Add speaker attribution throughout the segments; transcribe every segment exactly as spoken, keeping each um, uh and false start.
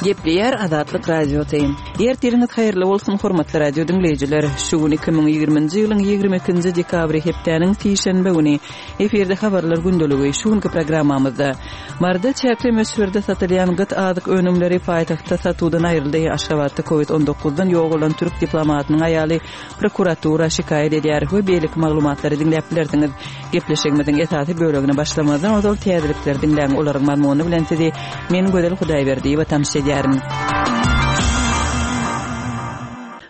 Speaker 1: Gepleýär Azatlyk Radiosy. Ertiriňiz haýyrly bolsun, hormatly radio diňleýjiler. Şu gün iki müň ýigriminji ýylyň ýigrimi ikinji dekabry hepdäniň sişenbe güni. Efirde habarlar gündeligi. Şu günki programmamyzda Maryda çäkli möçberde satylýan gyt azyk önümleri paýtagtda satuwdan aýryldy. Aşgabatda Covid on dokuzdan ýogalan türk diplomatynyň aýaly prokuratura şikaýat edýär we beýleki maglumatlary diňläp bilersiňiz. Gepleşigimiziň esasy bölegine başlamazdan ozal täzelikleri diňläň, olaryň mazmuny bilen sizi men Gözel Hudaýberdiýewa tanyş edýärin.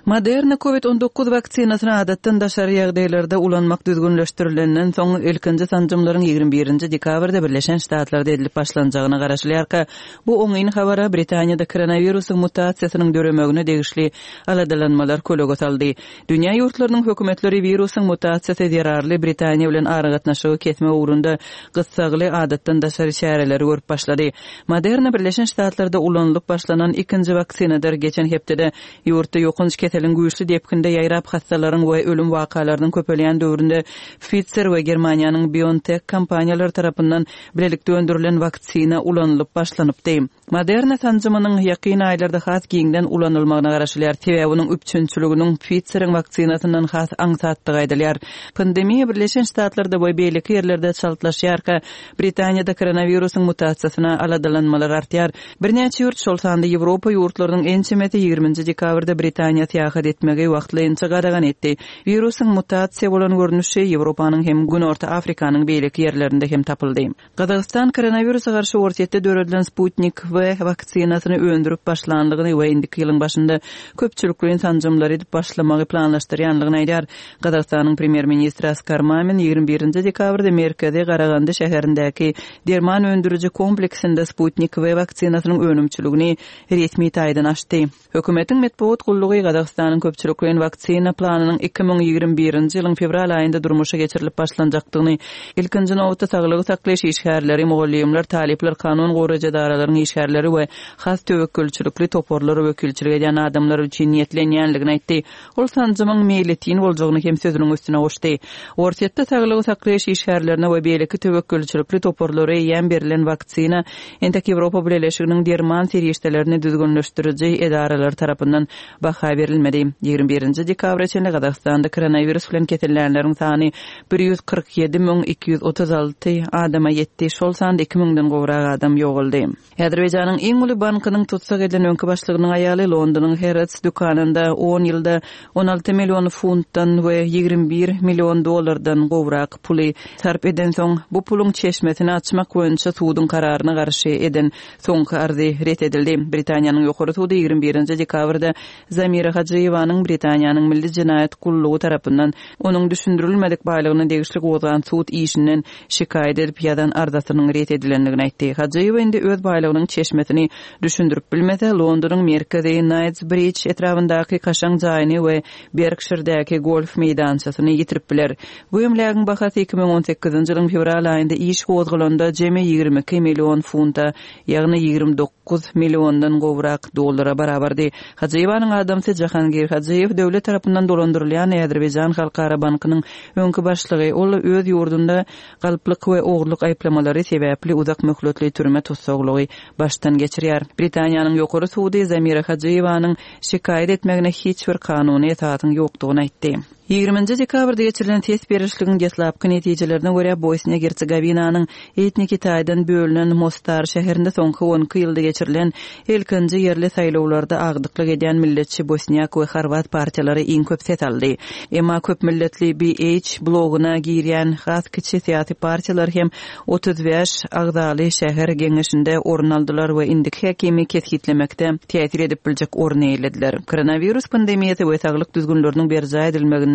Speaker 1: Moderna Covid on dokuz waksinasyny adatdan daşary ýagdaýlarda ulanmak düzgünleşdirilenden soň ilkinji sanjymlaryň ýigrimi birinji dekabrda Birleşen Ştatlarda edilip başlanjagyna garaşylýarka, bu oňyn habara Britaniýada koronawirusyň mutasiýasynyň döremegine degişli aladalanmalar kölege saldy. Dünýä ýurtlarynyň hökümetleri wirusyň mutasiýasy zerarly Britaniýa bilen aragatnaşygy kesme ugrunda gyssagly adatdan daşary çäreleri görüp başlady. Moderna Birleşen Ştatlarda ulanylyp başlanan ikinji waksinadyr. Geçen hepdede ýurtda ýokanç keseliň güýçli depginde ýaýrap hastalaryň we ölüm wakalarynyň köpelýän döwründe Pfizer we Germaniýanyň BioNTech kompaniýalary tarapyndan bilelikde öndürilen waksina ulanylyp başlanypdy. Moderna sanjymynyň ýakyn aýlarda has giňden ulanylmagyna garaşylýar. Sebäbi onuň üpjünçiliginiň Pfizeriň waksinasyndan has aňsatdygy aýdylýar. Pandemiýa Birleşen Ştatlarda we beýleki ýerlerde çaltlaşýarka, Britaniýada koronawirusyň mutasiýasyna aladalanmalar artýar. Birnäçe ýurt, şol sanda Ýewropa ýurtlarynyň ençemesi ýigriminji dekabrda Britaniýa syýahat etmegi wagtlaýynça gadagan etdi. Wirusyň mutasiýa bolan görnüşi Ýewropanyň hem Günorta Afrikanyň beýleki ýerlerinde hem tapyldy. Gazagystan koronawirusa garşy Orsýetde döredilen Sputnik V waksinasyny öndürip başlanlygyny we indiki ýylyň başynda köpçülikleýin sanjymlary edip başlamagy planlaşdyrýanlygyny aýdar. Gazagystanyň premýer-ministri Askar Mamin ýigrimi birinji dekabrda Merkezi Garagandy şäherindäki derman öndüriji kompleksinde Sputnik V waksinasynyň önümçiligini resmi taýdan açdy. Hökümetiň metbugat gullugy Gazagystanyň köpçülikleýin waksina planynyň iki müň ýigrimi birinji ýylyň fewral aýynda durmuşa geçirilip başlanjakdygyny, ilkinji nobatda saglygy saklaýyş işgärleri, mugallymlar, talyplar, kanun goraýjy edaralaryň işgärleri we has töwekgelçilikli toparlara wekilçilik edýän adamlar üçin niýetlenýänligini aýtdy. Ol sanjymyň meýletin boljagyny hem sözüniň üstüne goşdy. Orsýetde saglygy saklaýyş işgärlerine we beýleki töwekgelçilikli toparlara eýýäm berilen waksina entek Ýewropa Bileleşiginiň derman serişdelerini düzgünleşdiriji edaralar tarapyndan baha berilmedi. Ýigrimi birinji dekabra çenli Gazagystanda koronawirus bilen kesellänleriň sany bir ýüz kyrk ýedi müň iki ýüz otuz alty adama ýetdi. Şol sanda iki müňden gowrak adam ýogaldy. Azerbaýjanyň iň uly bankynyň tutsak edilen öňki başlygynyň aýaly Londonyň Harrods dükanynda on ýylda on alty million funtdan we ýigrimi bir million dollardan gowrak puly sarp eden soň bu puluň çeşmesini açmak boýunça suduň kararyna garşy eden soňky arzy ret edildi. Britaniýanyň ýokary sudy ýigrimi birinji dekabrda Zamira Hajyýewanyň Britaniýanyň Milli Jenaýat gullugy tarapyndan onuň düşündirilmedik baýlygyna degişli gozgan sud işinden şikaýat edip ýazan arzasynyň ret edilendigini aýtdy. Hajyýewa indi öz baýlygynyň çeşmesini düşündirip bilmese, Londonyň merkezi Knightsbridge etrabyndaky kaşaň jaýyny we Berkshiredäki golf meýdançasyny ýitirip biler. Bu emlägiň bahasy iki müň on sekizinji ýylyň fewral aýynda iş gozgalanda jemi ýigrimi iki million funta, ýagny ýigrimi dokuz milliondan gowrak dollara barabardy. Hajyýewanyň adamsy Jahangir Hajyýew döwlet tarapyndan dolandyrylýan Azerbaýjan Halkara Bankynyň öňki başlygy. Ol öz ýurdunda galplyk we ogurlyk aýyplamalary sebäpli uzak möhletli türme tussaglygy başdan geçirýär. Britaniýanyň ýokary sudy Zamira Hajyýewanyň şikaýat etmegine hiç bir kanuny esasyň ýokdugyny aýtdy. Ýigriminji dekabrda geçirilen ses berişligiň deslapky netijelerine görä Bosniýa Hersegovinanyň etniki taýdan bölünen Mostar şäherinde soňky on iki ýylda geçirilen ilkinji ýerli saýlawlarda agdyklyk edýän milletçi Bosniýak we Horwat partiýalary iň köp ses aldy. Emma köp milletli B H bloguna girýän has kiçi syýasy partiýalar hem otuz bäş agzaly şäher geňeşinde orun aldylar we indiki häkimi kesgitlemekde täsir edip biljek orun eýelediler. Koronavirus pandemiýasy we saglyk düzgünleriniň berjaý edilmeginde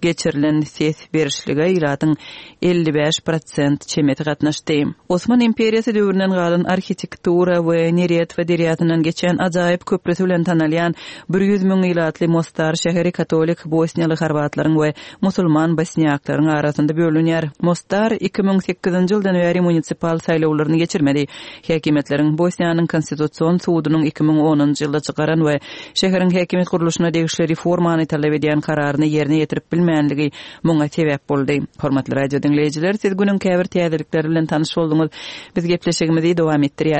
Speaker 1: geçirilen ses berişlige ilatyň elli bäş prosent çemesi gatnaşdy. Osman imperiyası döwründen galan arhitektura we Neretva derýasyndan geçen ajaýyp köprüsi bilen tanalýan bir ýüz müň ilatly Mostar şäheri katolik bosniýaly horwatlaryň we musulman bosniýaklaryň arasynda bölünýär. Mostar iki müň sekizinji ýyldan bäri munisipal saýlawlaryny geçirmedi. Häkimiýetleriň Bosniýanyň konstitusion sudunyň iki müň onunjy ýylda çykaran we şäheriň häkimiýet gurluşyna degişli reformany talap edýän kararyny ýerine ýetirip bilmänligi muňa sebäp boldy. Hormatly radio diňleýjiler, siz günüň käbir täzelikleri bilen tanyş bolduňyz. Biz gepleşigimizi dowam etdirýäris.